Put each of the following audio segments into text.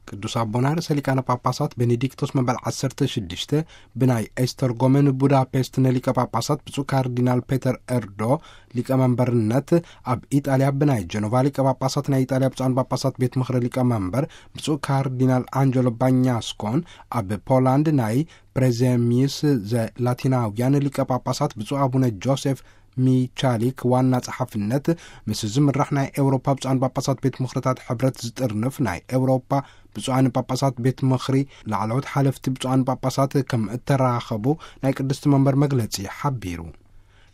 ቅዱስ ኣቦና ርእሰ ሊቃነ ጳጳሳት ቤኔዲክቶስ መበል ዓሰርተ ሽዱሽተ ብናይ ኤስተርጎመን ቡዳፔስት ንሊቀ ጳጳሳት ብፁዕ ካርዲናል ፔተር ኤርዶ ሊቀመንበርነት፣ ኣብ ኢጣልያ ብናይ ጀኖቫ ሊቀ ጳጳሳት ናይ ኢጣልያ ብፁዓን ጳጳሳት ቤት ምኽሪ ሊቀመንበር ብፁዕ ካርዲናል ኣንጀሎ ባኛስኮን፣ ኣብ ፖላንድ ናይ ፕሬዘሚዩስ ዘላቲናውያን ሊቀ ጳጳሳት ብፁዕ ኣቡነ ጆሴፍ ሚቻሊክ ዋና ጸሓፍነት፣ ምስ ዝምራሕ ናይ ኤውሮፓ ብፁዓን ጳጳሳት ቤት ምኽርታት ሕብረት ዝጥርንፍ ናይ ኤውሮፓ ብፁዓን ጳጳሳት ቤት ምኽሪ ላዕለዎት ሓለፍቲ ብፁዓን ጳጳሳት ከም እተራኸቡ ናይ ቅድስቲ መንበር መግለጺ ሓቢሩ።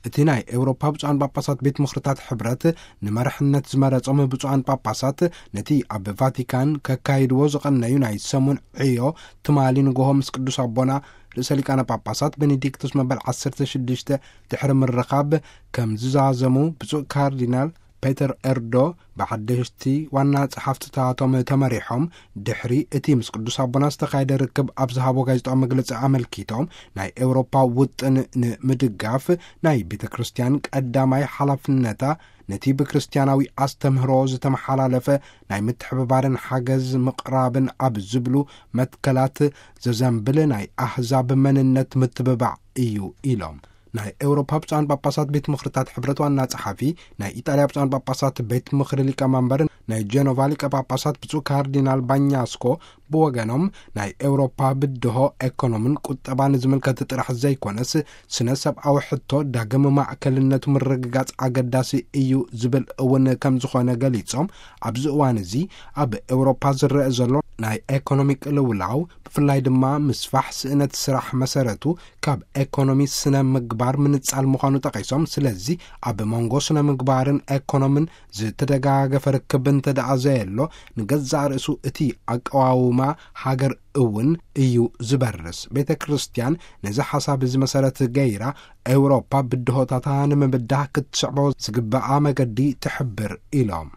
እቲ ናይ ኤውሮፓ ብፁዓን ጳጳሳት ቤት ምኽርታት ሕብረት ንመርሕነት ዝመረጾም ብፁዓን ጳጳሳት፣ ነቲ ኣብ ቫቲካን ከካይድዎ ዝቐነዩ ናይ ሰሙን ዕዮ ትማሊ ንግሆ ምስ ቅዱስ ኣቦና ርእሰ ሊቃነ ጳጳሳት ቤኔዲክቶስ መበል ዓሰርተ ሽዱሽተ ድሕሪ ምርኻብ ከም ዝዛዘሙ ብፁዕ ካርዲናል ፔተር ኤርዶ ብሓደሽቲ ዋና ጸሓፍትታቶም ተመሪሖም፣ ድሕሪ እቲ ምስ ቅዱስ ኣቦና ዝተኻየደ ርክብ ኣብ ዝሃቦ ጋዜጣዊ መግለጺ ኣመልኪቶም፣ ናይ ኤውሮፓ ውጥን ንምድጋፍ ናይ ቤተ ክርስቲያን ቀዳማይ ሓላፍነታ ነቲ ብክርስትያናዊ ኣስተምህሮ ዝተመሓላለፈ ናይ ምትሕብባርን ሓገዝ ምቕራብን ኣብ ዝብሉ መትከላት ዘዘንብል ናይ ኣህዛብ መንነት ምትብባዕ እዩ ኢሎም። ናይ ኤውሮፓ ብፁዓን ጳጳሳት ቤት ምኽርታት ሕብረት ዋና ጸሓፊ፣ ናይ ኢጣልያ ብፁዓን ጳጳሳት ቤት ምኽሪ ሊቀመንበር፣ ናይ ጀኖቫ ሊቀ ጳጳሳት ብፁዕ ካርዲናል ባኛስኮ ብወገኖም፣ ናይ ኤውሮፓ ብድሆ ኤኮኖምን ቁጠባን ዝምልከት ጥራሕ ዘይኮነስ፣ ስነ ሰብኣዊ ሕቶ ዳግም ማዕከልነቱ ምርግጋጽ ኣገዳሲ እዩ ዝብል እውን ከም ዝኾነ ገሊጾም፣ ኣብዚ እዋን እዚ ኣብ ኤውሮፓ ዝረአ ዘሎ ናይ ኤኮኖሚ ቅልውላው፣ ብፍላይ ድማ ምስፋሕ ስእነት ስራሕ መሰረቱ ካብ ኤኮኖሚ ስነ ምግባር ምንጻል ምዃኑ ጠቒሶም፣ ስለዚ ኣብ መንጎ ስነ ምግባርን ኤኮኖምን ዝተደጋገፈ ርክብ እንተ ደኣ ዘየሎ፣ ንገዛእ ርእሱ እቲ ኣቀዋውማ ሃገር እውን እዩ ዝበርስ። ቤተ ክርስቲያን ነዚ ሓሳብ እዚ መሰረት ገይራ፣ ኤውሮፓ ብድሆታታ ንምብዳህ ክትስዕቦ ዝግብኣ መገዲ ትሕብር ኢሎም።